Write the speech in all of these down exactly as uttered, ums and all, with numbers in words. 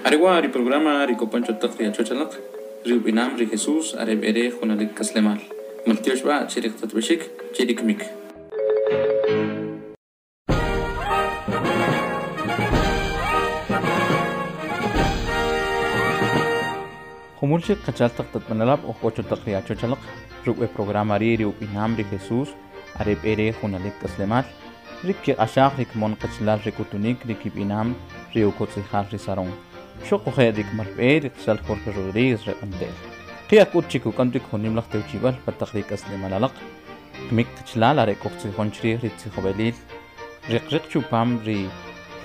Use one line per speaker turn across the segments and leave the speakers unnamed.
Are wa' ri programa ri kopan cho taq ri achoch alaq, ri ub'inam ri Jesús are b'e re junalik k'aslemal. Maltyox b'a' che ri qtatb'exik che ri kmik. Jumul chik qachal taq tatb'anelab' oj k'o cho taq ri achoch alaq, ruk' we programa ri' ri ub'inam ri Jesús are b'e re junalik k'aslemal, ri kiq'axaj ri kmon qachalal ri k'utunik ri kib'inam ri ukotz'ijal ri Sarón. Xuquje' ri k'amal b'e ri qachal Jorge Rodríguez re Q'antel. Qi'aj k'ut chik uk'am rik junim laj tewchib'al pa taq ri k'aslemal alaq. Kmik qachalal are kojtzijon chrij ri tzijob'elil riq riq chupam ri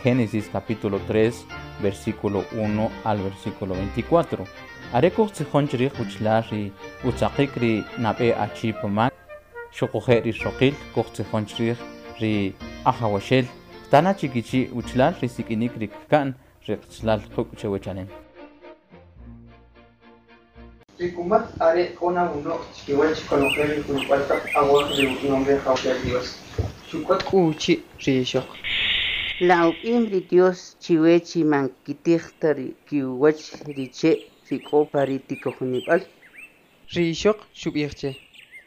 Génesis capítulo tres, versículo uno al versículo veinticuatro. Are kojtzijon chrij uchlal ri utzaqik ri nab'e achi pamak, xuquje' ri xoqil kojtzijon chrij ri ajawaxel, tana chikichi uchlal ri sik'inik ri kka'n ri qachalal quk' chewechanem.
Ri kumatz are k'o na uno'j chkiwach konojel ri juyub'al taq awaj ri ub'anom ri Ajawxel Dios. Xuk'ot k'u uchi' ri ixoq.
La ub'im ri Dios chiwe chi man kitij ta ri kiwach ri che' ri k'o pa ri tikojonib'al.
Ri ixoq xub'ij che.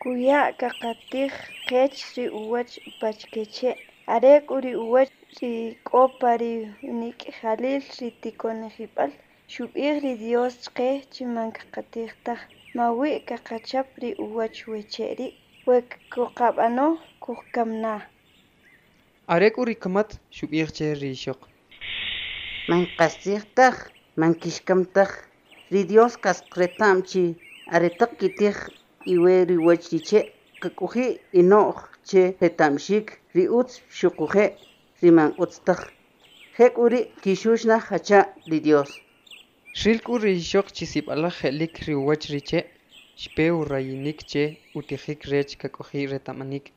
Kuya' kaqatij qech ri uwach upachke che', are k'u ri uwach ri k'o pa ri unik'jalil ri tikonijib'al, xub'ij ri Dios chqe chi man kaqatij taj, mawi kaqachap ri uwach we che' ri', we kuqab'ano kujkam na.
Are k'u ri kumatz xub'ij che ri ixoq.
Man qastzij taj, man kixkam taj, ri Dios qas reta'm chi aretaq kitij iwe ri uwach ri che', kak'oji' ino'j che reta'mxik ri utz xuquje' ri man utz taj. Je' k'u ri' kixux na jacha' ri Dios.
Xril k'u ri ixoq chi sib'alaj je'lik ri uwach ri che', xpe urayinik che utijik rech kak'oji' reta'manik.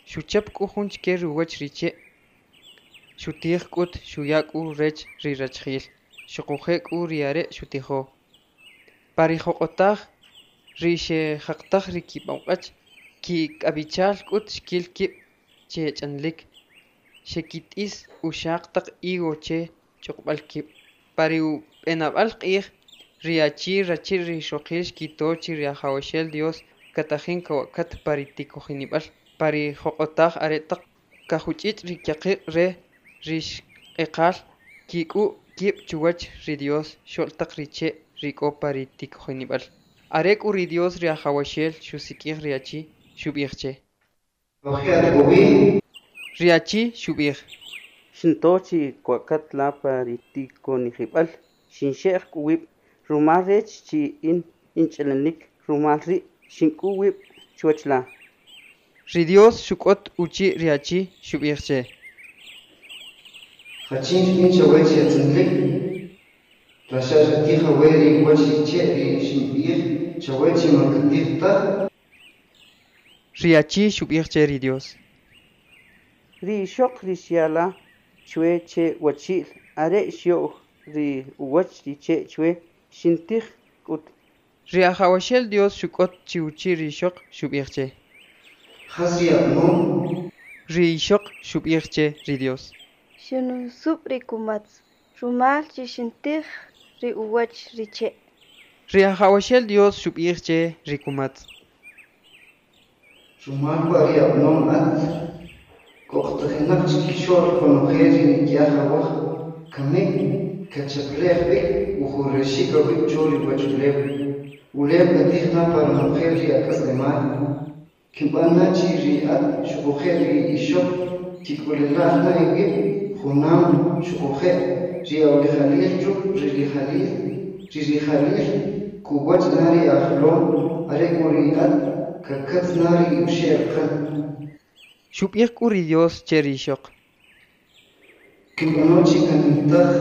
Xuchap k'u jun chike ri uwach ri che', xutij k'ut xuya k'u rech ri rachajil, xuquje' k'u ri are' xutijo. Pa ri joq'otaj ri xejaqtaj ri kib'aq'wach, kik'ab'ichal k'ut xkil kib' che ch'anlik, xekit'is uxaq taq higo che ch'uqb'al kib'. Pa ri ub'enab'al q'ij, ri achi rachi'l ri ixoqil xkito chi ri Ajawxel Dios katajin kawa'kat pa ri tikojinib'al, pa ri joq'otaj aretaq kajuch'ich' ri kyaqiq' re ri xq'eqal kik'u' kib' chuwach ri Dios xo'l taq ri che' ri k'o pa ri tikojinib'al. Are k'u ri Dios ri Ajawaxel xusik'ij ri achi, xub'ij che. Ri achi xub'ij.
Xinto chi kwa'kat la pa ri tikonijib'al, xinxe'j k'u wib' rumal rech chi in inch'alanik, rumal ri' xink'u wib' chuwach la.
Ri Dios xuk'ot uchi' ri achi, xub'ij che.
Jachin xb'in chawe chi atz'inlik, la xa xatij awe ri uwach ri che' ri xinb'ij chawe chi man katij taj.
Ri achi xub'ij che ri Dios.
Ri ixoq ri xya' la chwe che wachi'l are xyo'w ri uwach ri che' chwe xintij k'ut.
Ri Ajawaxel Dios xuk'ot chi uchi' ri ixoq, xub'ij che.
Jas ri ab'anom?
Ri ixoq xub'ij che ri Dios.
Xinusub' ri kumatz, rumal chi xintij ri uwach ri che'.
Ri Ajawaxel Dios xub'ij che ri kumatz.
Rumal wa' ri ab'anom at, k'oqtajinaq chkixo'l konojel ri nik'yaj awaj, kamik kachaple'j b'ik ujurexik awib' cho ri uwachulew. Ulew katij na pa ronojel ri ak'aslemal. Kinb'an na chi ri at xuquje' ri ixoq kik'ulelaj na iwib' junam xuquje' ri awrijalil ruk' ri rijalil, ri rijalil kuwach na ri ajlom, are k'u ri at kakatz na ri uxe' raqan.
Xub'ij k'u ri Dios che ri ixoq.
Kinb'ano chi kanimtaj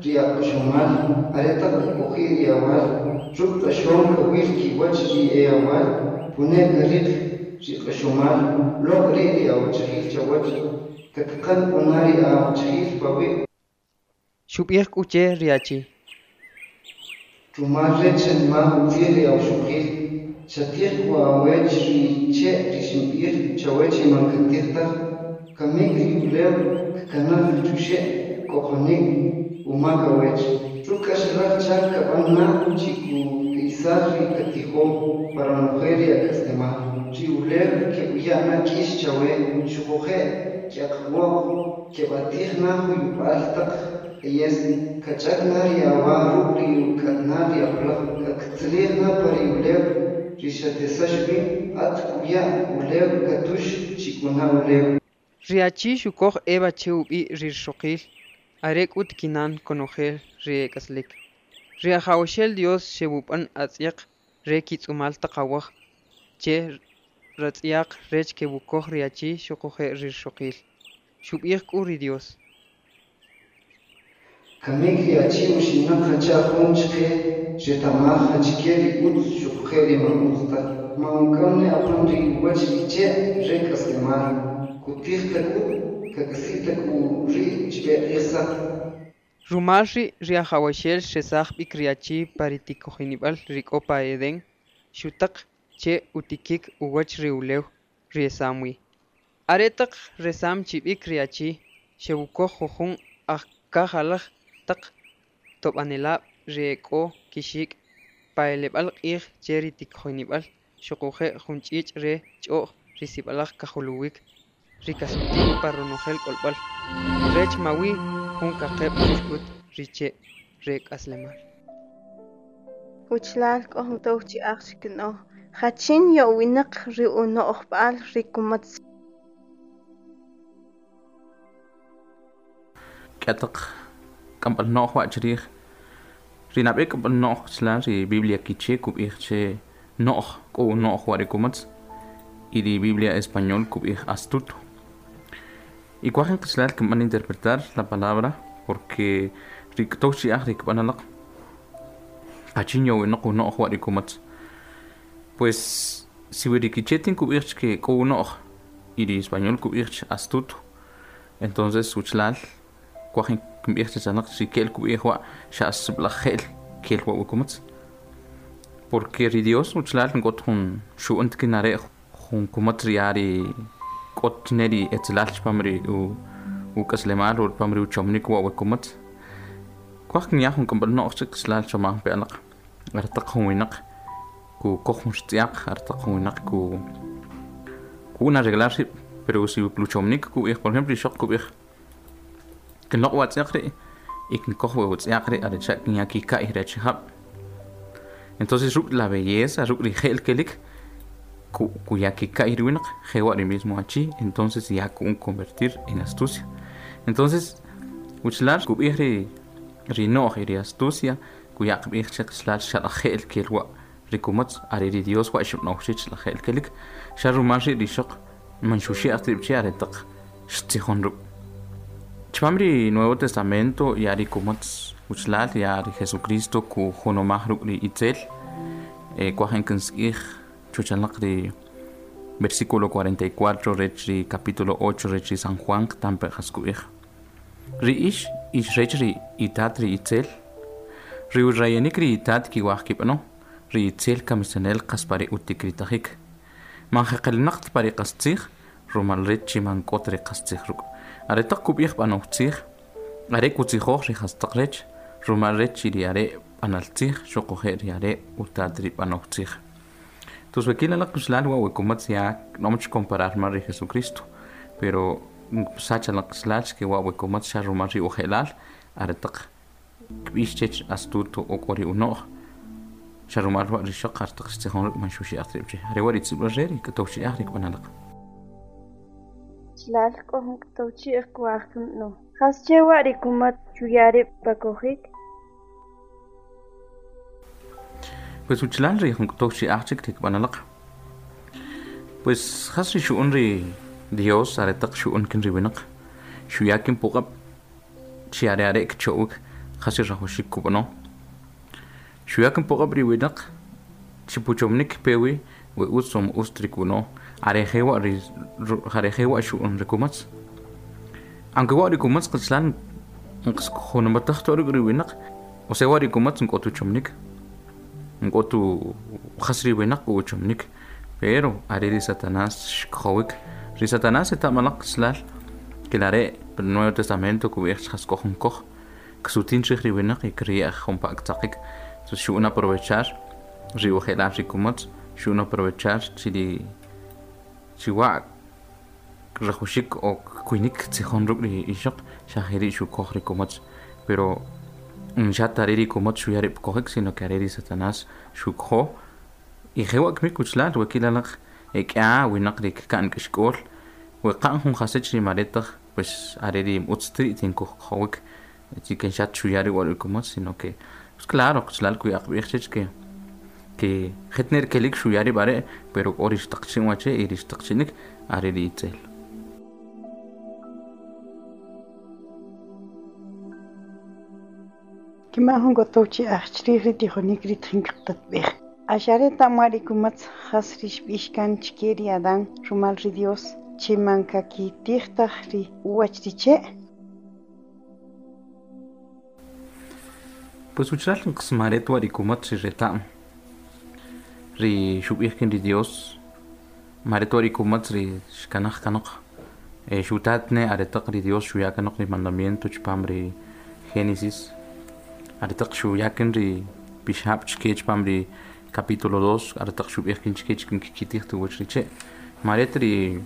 ri aq'oxomal aretaq kak'oji' ri awal, ruk' q'axom kawil kiwach ri e awal, pune kariq ri q'axomal, loq' ri' ri awachajil chawach, kataqan k'u na ri awachajil pawi'.
Xub'ij k'u che ri achi.
Rumal rech xanimaj utzij ri awxoqil, xatij k'u awech ri che' ri xinb'ij chawe chi man katij taj, kamik ri ulew kkanaj chuxe' k'oqonik umak awech. Ruk' k'axalaj chak kab'an na chi kuk'isaj ri katijo pa ronojel ri ak'aslemal. Ri ulew ke'uya' na k'ix chawe xuquje' kyaqwoq ke'b'atij na juyub'al taq q'ayes, kach'ak na ri awa ruk' ri uk'atnal ri apalaj, kattzalij na pa ri ulew ri xatesax wi, at k'uya' ulew katux chi k'u na ulew.
Ri achi xukoj Eva che ub'i' ri rixoqil, are k'ut kinan konojel ri e k'aslik. Ri Ajawaxel Dios xewub'an atz'yaq re kitz'umal taq awaj che ratz'yaq rech kewukoj ri achi xuquje' ri rixoqil. Xub'ij k'u ri Dios:
Kamik ri achi uxinaq jacha' jun chqe xreta'maj jachike ri utz xuquje' ri man utz taj. Man uk'am ne apan ri uwach ri che' re k'aslemal, kutij ta k'ut, kak'asi' ta k'u ri' chb'e q'ij saq.
Rumal ri' ri Ajawaxel xresaj b'ik ri achi pa ri tikojinib'al ri k'o pa Edén, xutaq che utikik uwach ri ulew ri esam wi. Aretaq resam chi b'ik ri achi, xewukoj jujun ajkajalaj taq tob'anelab' ri e k'o kixik' pa eleb'al q'ij che ri tikojinib'al xuquje' jun ch'ich' re ch'o'j ri sib'alaj kajuluwik ri kasutin pa ronojel k'olb'al, rech mawi jun kaqeb' chuxkut ri che' re k'aslemal.
Wachalal k'o jun tow chi'aj chikin'oj jachin ya'winaq ri uno'jb'al ri kumatz.
K'ataq k'amb'al no'j wa' chrij ri nab'e k'amb'al no'j chla ri Biblia Quiché kub'ij che no'j k'o no'j wa' ri kumatz y ri Biblia español kub'ij astuto. Y kuajin qichlal kinb'an interpretar la palabra porque ri k'tow chi'aj ri kb'analaq jachin yowinaq uno'j wa' ri kumatz. Pues si wi ri Quiché tin kub'ij che k'o uno'j y ri español kub'ij che astuto, entonces uchlal kuajin kinb'ij che chanaq si kel kub'ij wa' xa sib'alaj je'l kel wa' wi kumatz. Porque ri Dios uchlal nk'ot jun xu'unt kinare' jun kumatz ri ri k'ot ne ri etzelal chpam ri u uk'aslemal o chpam ri uchomnik wa' wi kumatz. Kuaj kinyaj jun k'amb'al no'j chik qichlal chomaj pe alaq aretaq jun winaq ku koj jun xtz'yaq, aretaq jun winaq ku ku'un arreglar rib', pero si pluchomnik kub'ij, por ejemplo ixoq kub'ij kinloq' wa tz'yaq ri' y kinkoj wa tz'yaq ri' arecha' kinya kika'y ri achijab'. Entonces ruk' la belleza, ruk' ri je'l kelik ku kuya kika'y ri winaq, jewa' ri mismo achi, entonces ya ku'un convertir en astucia. Entonces uchlal kub'ij ri ri no'j y ri astucia kuya qb'ij che qichlal xalaj je'l kel wa' ri kumatz are ri Dios wa' xub'now chich la je'l kelik xa rumal ri' ri ixoq man xuxi'aj rib' che aretaq xtzijon ruk'. Chpam ri Nuevo Testamento ya ri kumatz uchlal ya ri Jesucristo ku junomaj ruk' ri itzel eh, kuajin kinsk'ij chuchalaq ri versículo cuarenta y cuatro rech ri capítulo ocho rech ri San Juan tampe jas kub'ij. Ri ix ix rech ri itat ri itzel ri urayanik ri itat kiwaj kib'ano ri itzel kamisanel qas pa ri utikritajik man jeqelinaq pa ri qastzij rumal rech chi man k'ot ri qastzij ruk' aretaq kub'ij b'anoj tzij are kutzijoj ri jastaq rech rumal rech chi ri are' b'anal tzij xuquje' ri are' utat ri b'anoj tzij. Entonces wakil alaq qichlal wa' wi kumatz ya no much comparar mal ri Jesucristo, pero sacha la qichlal che wa' wi kumatz xa rumal ri uje'lal aretaq kb'ix chech astuto o k'o ri uno'j xa rumal wa' ri xoq aretaq xtzijon ruk' man xuxi'aj rib' che are wa' ri tz'ib'al re ri k'tow chi'aj ri kb'analaq.
Chalal k'o jun k'tow chi'ij kuaj kinb'ano. Jasche wa' ri kumatz xuya rib' pa kojik?
Pues uchlal ri jun k'tow chi'aj chik ri kb'analaq. Pues jas ri xu'un ri Dios aretaq xu'un kin ri winaq xuya kin puq'ab' chi are are' kcho'wik jas ri rajoxik kub'ano. Xuya kin puq'ab' ri winaq chi puchomnik pewi we utz o utz ri kub'ano are jewa' ri are jewa' xu'un ri kumatz. Aunque wa' ri kumatz qichlal nqs junumataj to ruk' ri winaq, o sea wa' ri kumatz nk'ot uchomnik nk'ot jas ri winaq uchomnik, pero are ri Satanás xkojowik ri Satanás eta'malaq qichlal que are' el Nuevo Testamento kub'ij jas k'o jun koj Ksutin chij ri winaq y kri'ej jun pa aktzaqik. Entonces xu'un aprovechar ri uje'lal ri kumatz, xu'un aprovechar chi ri chi wa' rajuxik o kuinik tzijon ruk' ri ixoq xa jeri' xukoj ri kumatz, pero xa tare ri kumatz xuya rib' kojik, sino que are ri Satanás xukjo y jewa' kmik uchlal we kilalaq ek'a winaq ri kka'n k'ixk'ool we qa'n jun jasech ri maretaq pues are ri utz tri' tinkojkjowik chi ken xa chuya ri wa' ri kumatz, sino que pues claro qchlal kuyaqb'ij chech que que jetner kelik xuya rib' are' pero k'o ri xtaqchin wache y ri xtaqchinik are ri itzel.
Kima jun k'otow chi'aj chrij ri tijonik ri tjin qtatb'ej. Axare ta'mwa ri kumatz jas ri xb'ix kan chke ri Adán rumal ri Dios che man kakitij taj ri uwach ri che'.
Pues uchlal nqsmaret wa ri kumatz ri reta'm ri xub'ij kin ri Dios maret wa ri kumatz ri xkanaj kanoq eh, xutatne aretaq ri Dios xuya kanoq ri mandamiento chpam ri Génesis aretaq xuya kin ri pixab' chke chpam ri capítulo dos aretaq xub'ij kin chke chkin kkitij tuwach ri che' maret ri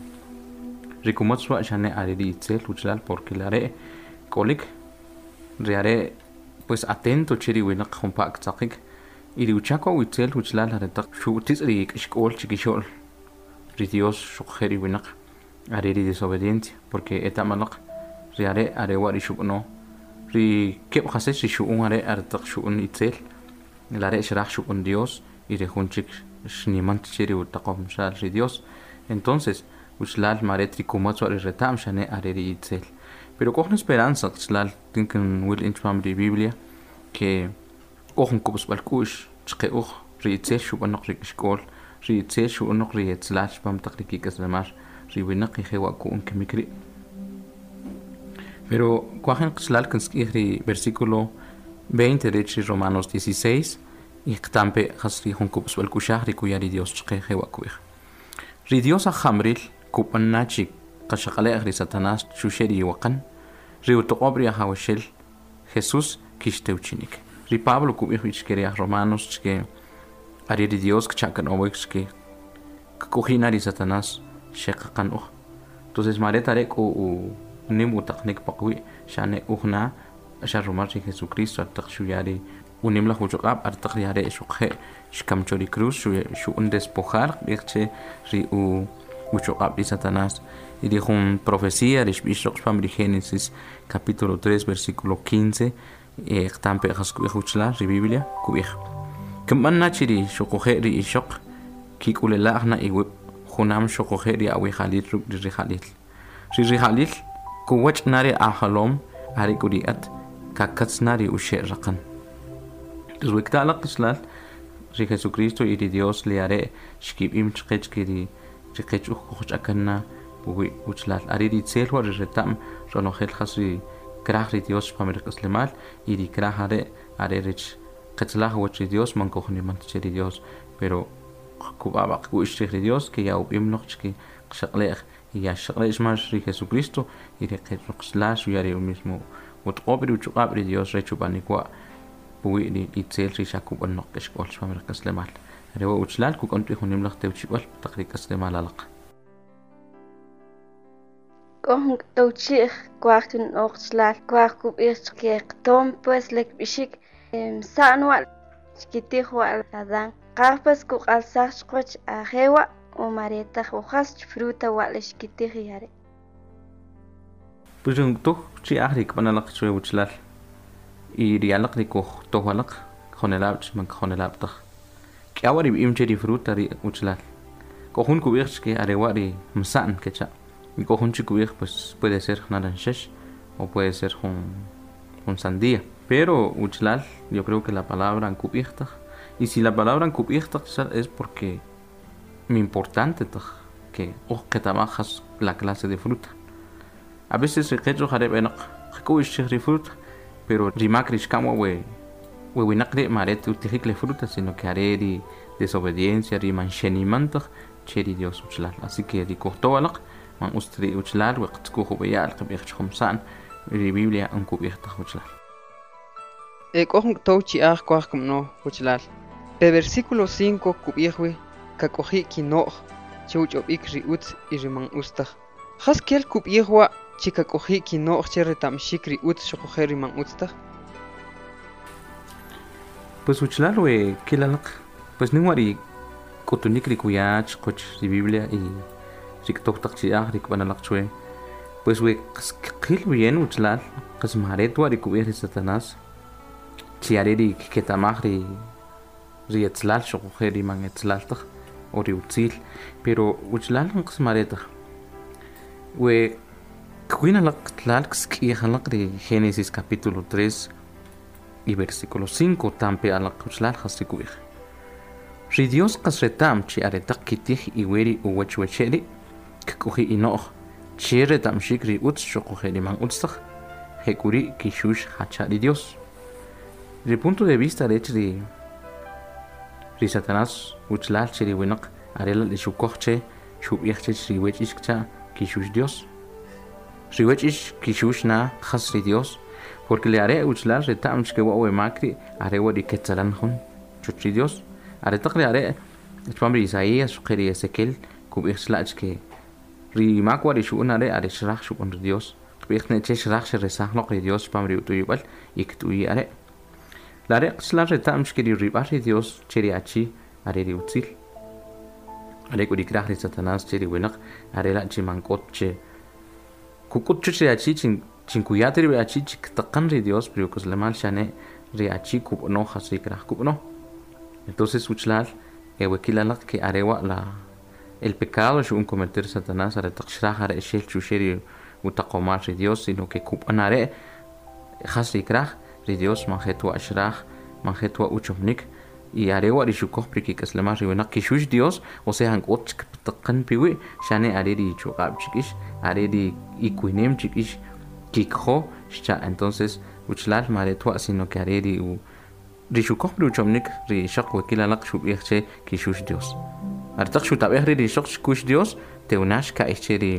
ri kumatz wa xane are ri itzel uchlal porque lare' k'olik ri are' pues atento che ri winaq jun pa aktzaqik y ri uchak wa itzel uchlal aretaq xu'titz ri k'ixk'ool chikixo'l ri Dios xuqje' ri winaq are ri desobediencia porque eta'malaq ri are' are wa ri xub'ano ri keb' jasech ri xu'un are' aretaq xu'un itzel lare' xraj xub'an Dios y ri jun chik xniman che ri utaqom xal ri Dios. Entonces uchlal maret ri kumatz wa ri reta'm xane are ri itzel, pero k'o jun esperanza qchlal tinkin wil in chpam ri Biblia que k'o jun kub'sb'al k'u'x chqe uj ri itzel xub'anoq ri k'ixk'ool ri itzel xu'unoq ri etzlal chpam taq ri kik'aslemal ri winaq y jewa' ku'un kimik ri'. Pero kuajen qchlal kinsk'ij ri versículo veinte rech ri Romanos dieciséis y qtampe jas ri jun kub'sb'al k'uxaj ri kuya ri Dios chqe jewa' kub'ij. Ri Dios ajamril kub'an na chi qaxaq'ale'j ri Satanás xuxe' ri iwaqan ri utoq'ob' ri Ajawaxel Jesús kixtewchinik. Ri Pablo kub'ij b'i chke ri aj Romanos chke are ri Dios kcha'kanowik chke kk'oji' na ri Satanás xeqaqan uj. Entonces maret are' k'o u nim utaqnik paqwi' xane uj na xa rumal ri Jesucristo artaq xuya ri unim laj uchoq'ab' artaq ri are' xuqje' xkam cho ri cruz xu'un despojar qb'ij che ri u uchoq'ab' ri Satanás. Y ri jun profecía ri xb'ix roq chpam ri Génesis capítulo tres versículo quince eh, qtampe jas kub'ij uchlal ri Biblia kub'ij kinb'an na chi ri xuquje' ri ixoq kik'ulela'j na iwib' junam xuquje' ri awijalil ruk' ri rijalil ri rijalil kuwach na ri ajalom are k'u ri at kakatz na ri uxe' raqan. Entonces we kta'laq qichlal ri Jesucristo y ri Dios le are' xkib'im chqech ke ri ri qech uj kujch'akan na puwi' uchlal are ri itzel wa ri reta'm ronojel jas ri kraj ri Dios chpam ri k'aslemal y ri kraj are' are rech qetzlaj wach ri Dios man kujniman che ri Dios, pero kub'ab'a qk'u'x chrij ri Dios que ya ub'im noq chke qxaq'le'j y ya xaq'le'x mas ri Jesucristo y ri qeroqxlal xuya ri mismo utq'ob' ri uchuq'ab' ri Dios rech ub'anik wa' puwi' ri itzel ri xa kub'an noq k'ixk'ool chpam ri k'aslemal. Are wa uchlal kuk'on b'i jun nim laj tewchib'al taq ri k'aslemal alaq.
K'o jun k'towchi'j kuaj kin'oq chlal kuaj kub'ij chke qtom pues lek b'ixik sa'n wa' chkitij wa' Adán qaj pues kuq'alsaj chqwach ajewa' o maretaj o jas fruta wa' le xkitij yare'.
Pues jun tuj chi'aj ri kb'analaq chwe uchlal y ri alaq ri kuj tojwalaq kjonelab' man kjonelab' taj k'awa ri b'im che ri fruta ri uchlal k'o jun kub'ij chke are wa' ri msa'n kecha' y k'o jun chik kub'ij pues puede ser naranxex o puede ser jun jun sandía, pero uchlal yo creo que la palabra nkub'ij taj y si la palabra nkub'ij taj es porque mi importante taj que uj qetamaj jas la clase de fruta. A veces ri qech uj are b'enaq qk'u'x chij ri fruta pero ri mak ri xkam wa we we winaq ri' maret utijik le fruta sino que are ri desobediencia ri man xeniman taj che ri Dios uchlal. Así que ri kujtowalaq man ust ri uchlal we qtzkuj ub'eya'l qb'ij chjum sa'n ri Biblia nkub'ij taj uchlal.
E k'o jun k'tow chi'aj kuaj kumno wachalal. Pe versículo cinco kub'ij wi kak'oji' kino'j che uch'ob'ik ri utz y ri man utz taj. Jas kel kub'ij wa chi kak'oji' kino'j che reta'mxik ri utz xuquje' ri man utz taj?
Pues uchlal we kilalaq pues nin ri k'utunik ri kuyach qoch ri Biblia y ri k'tow taq chi'aj ri kb'analaq chwe. Pues we qil bien uchlal qas maret wa ri kub'ij ri Satanás chi are ri kketamaj ri ri etzlal xuquje' ri man etzlal taj o ri utzil, pero uchlal qas maret taj. We kwinalaq tlal ksk'ijalaq ri Génesis capítulo tres y versículo cinco tampe alaq uchlal jas ri kub'ij. Ri Dios qas retam chi aretaq kitij iweri uwach wecheri kk'oji ino'j che retamxik ri utz xuquje' ri man utz taj jek'uri kixux jacha ri Dios. Ri punto de vista rech ri ri Satanás uchlal che ri winaq are la li xukoj che xub'ij che ri wech ix kcha kixux Dios. Ri wech ix kixux na jas ri Dios, porque le are uchlal retam chke wa we makri are wa ri ketzalan jun chuch ri Dios. Are taq ri are chpam ri Isaías xuqe ri Ezequiel kub'ij chla'ch ke ri mak wa ri xu'un are are xraj xub'an ri Dios. Qb'ij ne che xraj xresaj loq ri Dios chpam ri utuyib'al y kt'uyi are. La are qchlal retam chke ri rib'al ri Dios che ri achi are ri utzil. Are k'u ri kraj ri Satanás che ri winaq are la chi man k'ot che kuk'ut chuch ri achi chin chinkuyat ri achi chiktaqan ri Dios pri uk'aslemal xane ri achi kub'ano jas ri kraj kub'ano. Entonces uchlal ewekilalaq ke arewa la el pecado xu'un cometer Satanás are taq xraj are xel chuxe ri utaqomal ri Dios, sino que kub'an are jas ri kraj ri Dios man jetwa xraj man jetwa uchomnik y arewa ri xukoj pri kik'aslemal ri winaq kixux Dios, o sea han k'ot chktaqan piwi xane are ri chuq'ab chik'ix are ri ikuinem chik'ix kikjo xcha. Entonces uchlal maretwa sino que are ri u ri xukoj pri uchomnik ri xaq wekilalaq xub'ij che kixux Dios. Artaq xutab'ej ri ri xoq xkux Dios teunax ka'ij che ri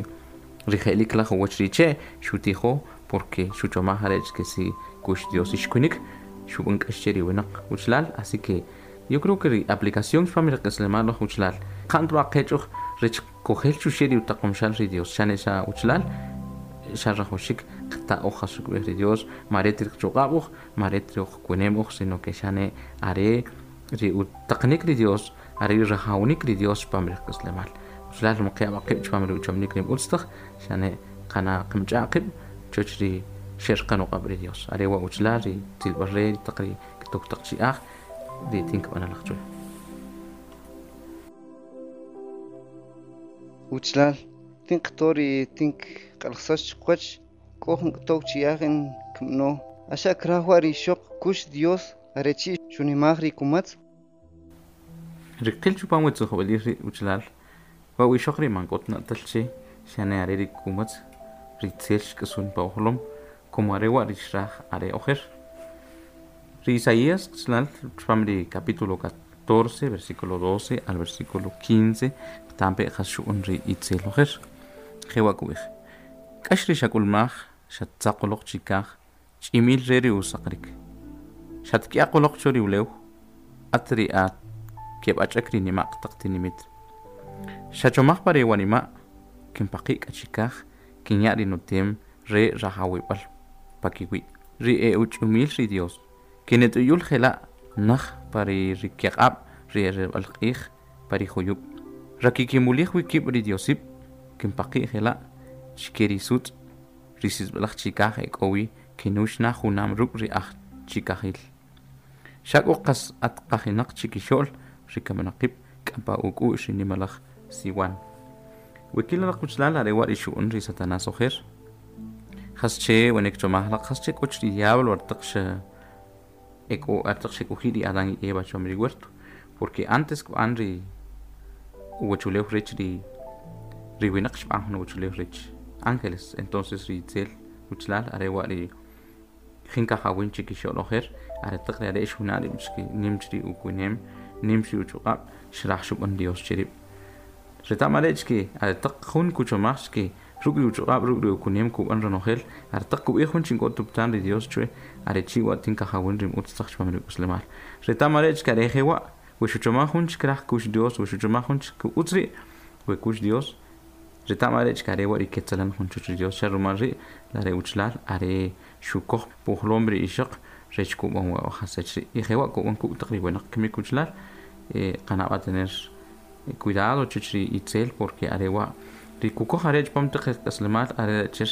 ri je'lik laj uwach ri che xutijo porque xuchomaj arech que si kux Dios ixkunik xub'an k'ax che ri winaq uchlal. Así que yo creo que ri aplicación chpam ri k'aslemal laj uchlal qant wa qech'uj rech kojel chuxe ri utaqomxal ri Dios xane xa uchlal xa rajoxik qta'oj jas xukb'ij ri Dios maret ri chuq'ab'uj maret ri kuenemuj, sino que xane are ri utaqnik ri Dios are ri rajawnik ri Dios chpam ri k'aslemal. Uchlal mqe'ab qib' chpam ri uchomnik ri utz taj xane qana qimch'a qib' choch ri xerqan uq'ab' ri Dios are wa uchlal ri tzilb'al re ri taq ri k'tow taq chi'aj ri tink b'analaj chwe.
Uchlal tink qto ri tink q'alqsax qwach k'o jun k'tow chi'aj in kmno axa kraj wa ri xoq kux Dios are chi' xunimaj ri kumatz.
Ri qil chupam we tzijob'elil ri uchlal wa wi xoq ri man k'ot na'tal che xane are ri kumatz ri tzel xk'asun pa ujolom como are wa ri xraj are ojer. Ri Isaías chlal chupam ri capítulo catorce versículo doce al versículo quince tampe jas xu'un ri itzel ojer. Jewa kub'ij k'ax ri xak'ulmaj xatzaqoloq chikaj ch'imil re ri usaqrik xatk'iaqoloq cho ri ulew at ri at keb'ach'ak ri nima'q taq tinimit xachomaj pa ri wanima' kinpaqi' k'achikaj kinya' ri nutem re rajawib'al pakiwi' ri e uch'umil ri Dios kinet'uyul jela' naj pa ri rikiq'ab' ri ereb'al q'ij pa ri juyub' rakikimulij wi kib' ri Diosib' kinpaqi' jela' chike ri sutz' ri sisb'alaj chikaj e k'o wi kinux na junam ruk' ri aj chikajil xak'o qas at qajinaq chikixo'l ri kamanaqib' k'ampa uk'u'x ri nimalaj siwan. Wekilalaq uchlal are wa ri xu'un ri Satanás ojer jas che wenek chomaj laq jas che k'och ri diablo artaq xa eko artaq xek'uji ri Adán y Eva chom ri huerto, porque antes kb'an ri uwachulew rech ri ri winaq xb'an jun uwachulew rech ángeles. Entonces ri itzel uchlal are wa ri jinkajawin chikixo'l ojer are taq ri are xuna' ri chki nim chri ukuinem nim chri uchuq'ab' xraj xub'an Dios chirib' reta'm are chki are taq jun kuchomaj chki Ruk' ri uchuq'ab' ruk' ri ukunem kub'an ronojel aretaq kub'ij jun chin k'o tuptan ri Dios chwe are chi' wa tin kajawin ri utz taq chpam ri k'aslemal reta'm are' che are jewa' we xuchomaj jun che kraj kux Dios we xuchomaj jun che utz ri' we kux Dios reta'm are' che are wa' ri ketzalan jun chuch ri Dios xa rumal ri' la re uchlal are xukoj pujlom ri ixoq rech kub'an wa jasach ri' y jewa' kub'an kuk' taq ri winaq kimik uchlal qanab' tener cuidado chuch ri itzel porque are wa' ri kukoj are' chpam taq k'aslemal are' che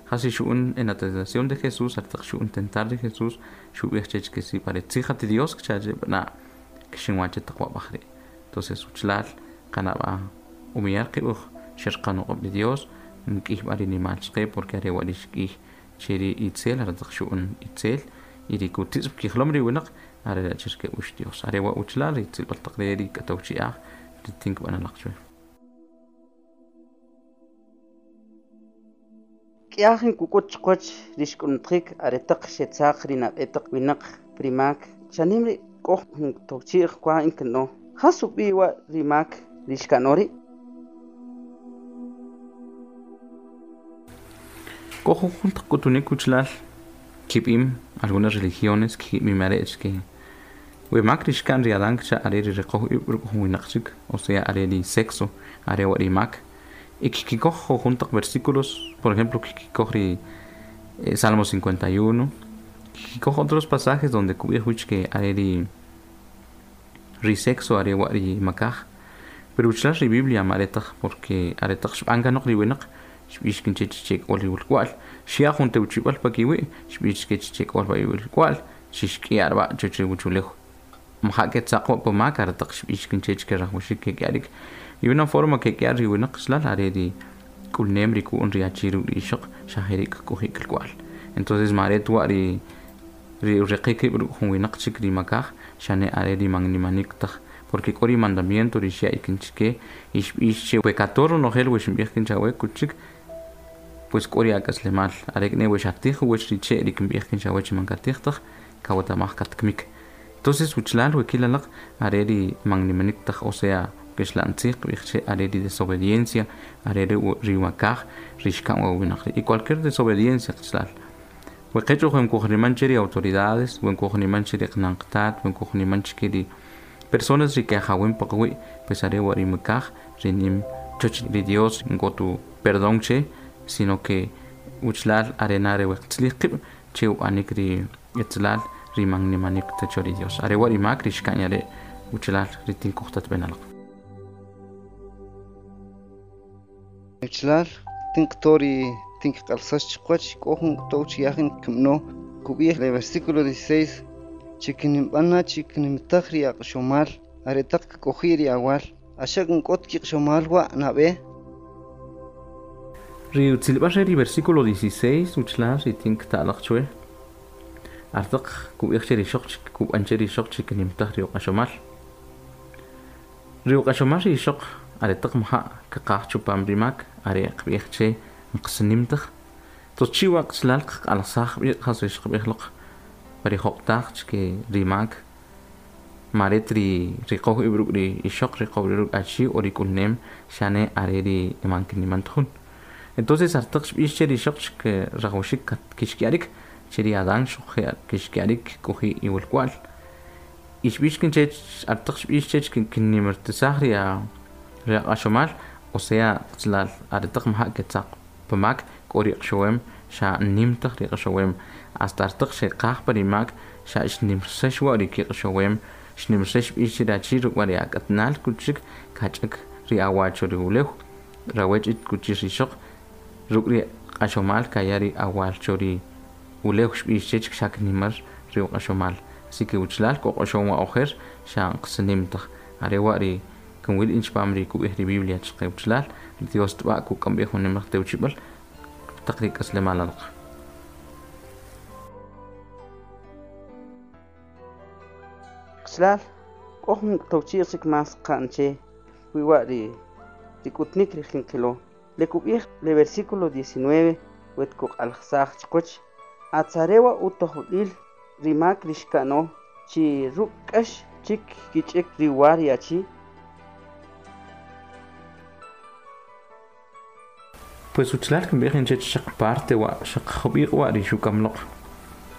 jasi xu'un en la tentación de Jesús aretaq xu'un tentar ri Jesús xub'ij chech que si paretzij ati Dios kcha che na kxinwa che taq wab'aj ri' entonces uchlal qanab'a humillar qib' uj xerqanoq'ob' ri Dios mk'ij b'a ri nimal chqe porque are wa' ri xk'ij che ri itzel aretaq xu'un itzel y ri kutitz' kijlom ri winaq are' che xke'ux Dios are wa' uchlal ri tzilb'al taq re ri k'atow chi'aj ri tin kb'an alaq chwe.
K'yajin kuk'ut chqwach ri xk'unutjik aretaq xetzaq ri nab'e taq winaq primak chanim ri k'oj jun towchi'j kwa inkano jas ub'i' wa' ri mak ri xka'no ri'.
K'o jujun taq k'utunik uchlal kib'im algunas religiones kib'im are' che we mak ri xka'n ri Adán kcha are ri riqoj ib' ruk' jun winaq chik o sea are ri sexo are wa' ri mak y kikoj jujun taq versículos por ejemplo kikoj ri eh, Salmo cincuenta y uno kikoj otros pasajes donde kub'ij wich que are ri ri sexo are wa' ri makaj pero uchlal ri Biblia ma'aretaq porque aretaq xb'an kanoq ri winaq xb'ix kin chech che k'ol ri wulk'wa'l xya' jun tewchib'al pakiwi' xb'ix kech che k'ol pa iwulk'wa'l xixk'i'ar b'a chuch ri wuchulew mja' ketzaq wa' pamak aretaq xb'ix kin chech ke rajwaxik kek'yarik y una forma kek'yar ri winaq xlal are ri k'ulnem ri ku'un ri achi ruk' ri ixoq xa jeri' kk'oji' kalk'wa'l entonces ma'aret wa' ri ri riqik rib' ruk' jun winaq chik ri makaj xane are ri mannimanik taj porque k'o ri mandamiento ri xya' ikin chike y xb'ix che we kator ronojel we xinb'ij kin chawe kuchik pues k'o ri ak'aslemal are k'ne we xatij uwach ri che' ri kinb'ij kin chawe chi man katij taj kawatamaj katkmik entonces uchlal we kilalaq are ri mannimanik taj o sea kexla'ntzij qb'ij che are ri desobediencia are ri ri makaj ri xka'n wa winaq ri y cualquier desobediencia qchlal we qech uj nkujniman che ri autoridades we nkujniman che ri qnanqtat we nkujniman che ri personas ri kajawin paqwi' pues are wa ri makaj ri nim choch ri Dios ngotu perdón che sino que uchlal arenare we qtzlij qib' che ub'anik ri etzlal ri mannimanik tacho ri Dios are wa ri mak ri xka'n yare uchlal ri tinkujtat benalaq.
Uchlal tinqtori tinqalsax chqwach k'o jun tow chiyajin kimno kub'ij le versículo dieciséis chikinib'ana chikinimtaj ri aq'xomal aretaq kk'oji' ri awal axaq nk'ot kiq'xomal wa' nab'e.
Ri utzilb'al re ri versículo dieciséis uchlal ri tinqta'laq chwe artaq kub'ij che ri xoq kub'an che ri xoq chikinimtaj ri uq'axomal ri uq'axomal ri xoq aretaq mja' kaqaj chupam ri mak are qb'ij che nqsinimtaj tos chiwa qchlal q'alsaj b'i qas ri xqb'ij loq pa ri joq'taj chke ri mak maret ri riqoj ib' ruk' ri ixoq riqoj ruk' achi o ri k'ulnem xane are ri man kiniman jun entonces artaq xb'ix che ri xoq che rajwaxik kixk'yarik che ri Adán xoq kixk'yarik k'oji' iwalk'wa'l y xb'ix kin chech artaq xb'ix chech kinnimartisaj ri ri aq'axomal o sea qchlal aretaq mja' ketzaq pamak k'o ri q'xowem xa nimtaj ri q'xowem hasta artaq xeqaj pa ri mak xa xnimrsax wa' ri kiq'xowem xnimrsax b'ix che rachi ruk' wa ri ak'atnal kuchik kach'ak ri awacho ri ulew rawech it kuchix ri xoq ruk' ri q'axomal kaya ri awal cho ri ulew xb'ix chech xa knimar ri uq'axomal así que uchlal k'o q'oxom wa ojer xa qsinimtaj are wa' ri kinwil inchpam ri kub'ij ri Biblia chqe uchlal Dios tb'a kuk'amb'ij jun nimaq tewchib'al taq ri k'aslemal alaq.
Qchlal k'o jun towchi'j chik mas qa'n che wiwa' ri ri k'utnik ri jinqilo le kub'ij le versículo diecinueve wet kuq'alsaj chqwach atzarewa utojb'il ri mak ri xka'no chi ruk' k'ax chik kich'ik ri wa ri achi.
Pues uchlal kinb'ij in chech xaq parte wa xaq jub'iq wa ri xukamloq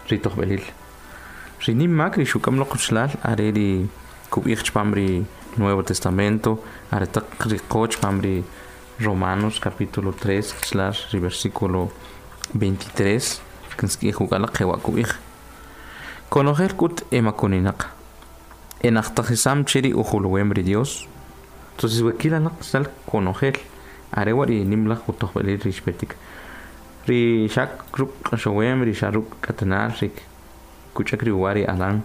ri tojb'elil. Ri nim mak ri xukamloq uchlal are ri kub'ij chpam ri Nuevo Testamento, are taq ri qo chpam ri Romanos capítulo tres, qchlal ri versículo veintitrés, kinsk'ij uk'alaq jewa kub'ij. Konojel k'ut emakuninaq. Enajtajisam che ri ujuluwem ri Dios. Entonces wekilanaq sal konojel are wa ri nimlaj utojb'elil ri xpetik. Ri xak ruk' q'axowem ri xa ruk' k'atanal ri kuch'ak ri uwa ri Adán,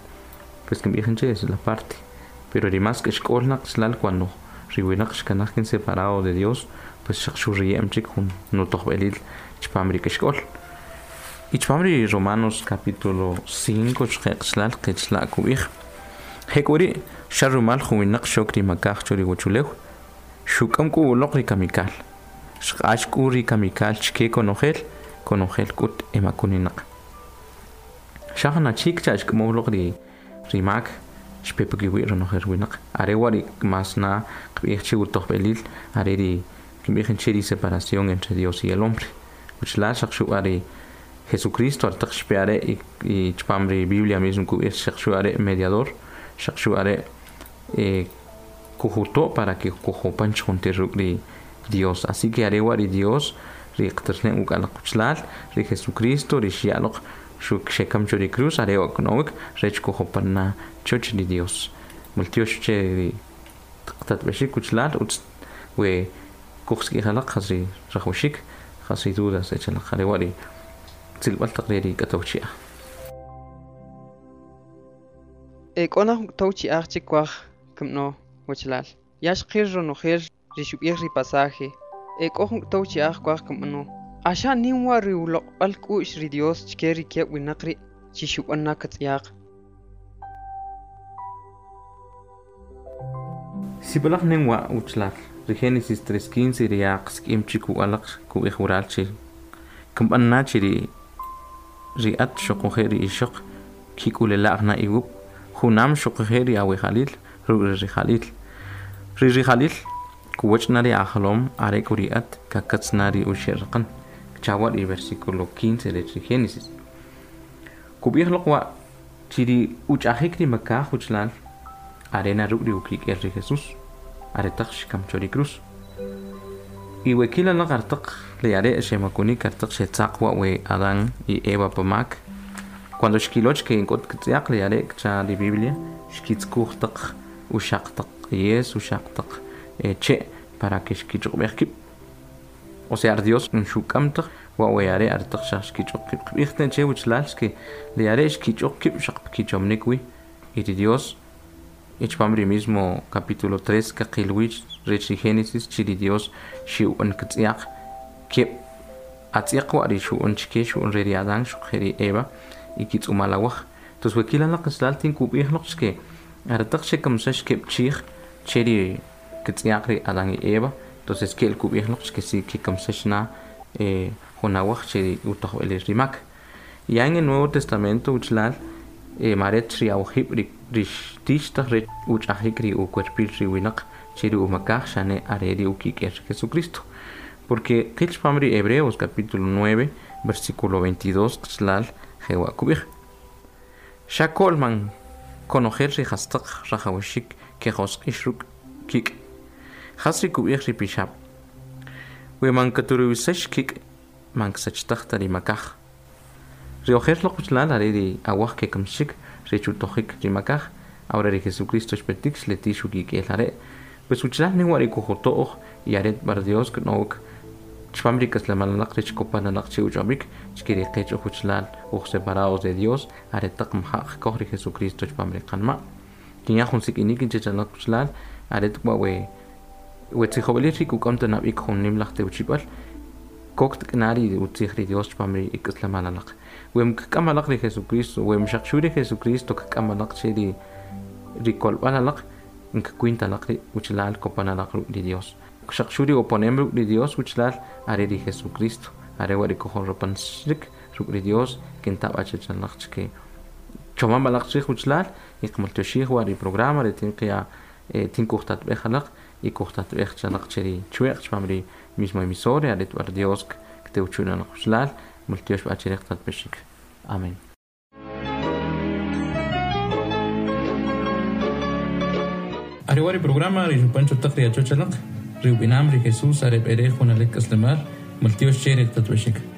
pues kinb'ij che es la parte. Pero ri mas k'exk'olnaq chlal cuando ri winaq xkanaj kin separado de Dios, pues xaq xurriyem chik jun nutojb'elil chpam ri k'exk'ol. Y chpam ri Romanos capítulo cinco xqeqchlal qechla kub'ij. Jek'uri xa rumal jun winaq xok ri makaj cho ri wachulew, xuk'am k'u uloq ri kamikal. Xq'ax k'u ri kamikal chke konojel, konojel k'ut emakuninaq. Xa jun achik cha xk'amow loq ri ri mak xpepekiwi ronojel winaq. Are wa ri mas na qb'ij che utojb'elil, are ri kinb'ij che ri separación entre Dios y el hombre. Uchlal xaq xu are Jesucristo artaq xpe are y, y chpam ri Biblia mismo kub'ij xaq xu are mediador, xaq xu are eh, kujuto para que kujopan chjuntir ruk' ri Dios. Así que are wa ri Dios ri qternen uk'alaq uchlal, ri Jesucristo ri xya'loq xuk xekam cho ri cruz are wa knowik rech kujopan na choch ri Dios. Multiox che ri qtatb'exik uchlal utz we kujsk'ijalaq jas ri rajwaxik jas ri dudas echalaq are wa ri tzilb'al taq ri k'atawchi'aj.
E k'o naj tawchi'aj che kwaj kimno wachlal. Ya xqil ronojel ri xub'ij ri pasaje. E k'o jun tawchi'aj kwaj kimno. Axa nim wa ri uloq'b'al k'u'x ri Dios chke ri keb' winaq ri' chi xub'an na katz'yaq.
Sib'alaj nim wa uchlal ri Génesis tres quince ri yaq sk'im chik u'alaq kub'ij wural chi kimb'an na chi ri ri at xuquje' ri ixoq kik'ulela'j na iwub' junam xuquje' ri awijalil ruk' ri rijalil. Ri rijalil kuwach na ri ajlom are k'u ri at kakatz na ri uxe' raqan. Chawa ri versículo quince de ri Génesis. Kub'ij loq wa chi ri uch'ajik ri makaj uchlal arena ruk' ri ukik'el ri Jesús are taq xkam cho ri cruz. Y wekilanaq artaq le are xemakunik artaq xetzaq wa we Adán y Eva pamak. Cuando xkiloch ke ink'ot ktz'yaq le are kcha ri Biblia xkitzkuj taq uxaq taq yes uxaq taq eh, che para que xkich'uqb'ej kib'. O sea, Dios nxuk'am taq wa we are artaq xaq xkich'uq kib'. Qb'ij che uchlal xke le are xkich'uq kib' xaq kichomnik wi. Y ri Dios Ichpam ri mismo capítulo tres kaqilwich rech ri Génesis chi ri Dios xi'u'an ktz'yaq keb' atz'yaq wa ri xu'un chke xu'un re ri Adán xuqje ri Eva y kitz'umalawaj. Entonces wekilanaq qichlal tin kub'ij loq chke aretaq xekamsax keb' chiij che ri ktz'yaq ri Adán y Eva. Entonces ke'l kub'ij loq chke si kikamsax na eh, junawaj che ri utojb'elil ri mak. Ya en el Nuevo Testamento uchlal eh, maret ri awjib ri rix tix taq re uch'ajik ri ucuerpil ri winaq che ri umakaj xane are ri ukik'el Jesucristo. Porque qil chpam ri Hebreos capítulo nueve versículo veintidós qchlal jewa kub'ij. Xa ko'l man konojel ri jastaq rajawxik ke josq'ix ruk' kik'. Jas ri kub'ij ri pixab'. We man katuriwisax kik' man ksachtaj ta ri makaj. Ri ojer loq uchlal are ri awaj ke kamxik ri chutojik ri makaj. Ahora ri Jesucristo xpetik xleti xukik'el are. Pues uchlal nim wa ri kujoto'oj y aret bar Dios knowk chpam ri k'aslemalnaq rech kopanalaq che uch'ob'ik chke ri qech uj uchlal uj separados de Dios are taq mja'j koj ri Jesucristo chpam ri qanma'. Kinya jun sik'inik inchechalaq uchlal aret wa we we tzijob'elil ri kuk'am tanab'ik jun nimlaj tewchib'al kok tk'nari utzij ri Dios chpam ri ik'aslemalalaq. Wem kk'amalaq ri Jesucristo, wem xaq xu ri Jesucristo kk'amalaq che ri ri kolb'alalaq nkakwintalaq ri uchlal kopanalaq ruk' ri Dios. Xaq xu ri oponem ruk' ri Dios uchlal are ri Jesucristo, are wa ri kojorropansrik ruk' ri Dios kintab' achechalaq chke chomamalaq chrij uchlal y qmaltyoxij wa ri programa ri tinqiya eh, tinkujtatb'ej alaq y kujtatb'ej chalaq che ri chweq chpam ri Mismo emisora are twar Dios ktewchuna qochlal multiox b'achirek tatb'exik. Amén. Ariwari programa ri Pancho taq ri achochalaq ri ub'inam ri Jesús are b'ere junalik k'aslemal multiox cherek tatb'exik.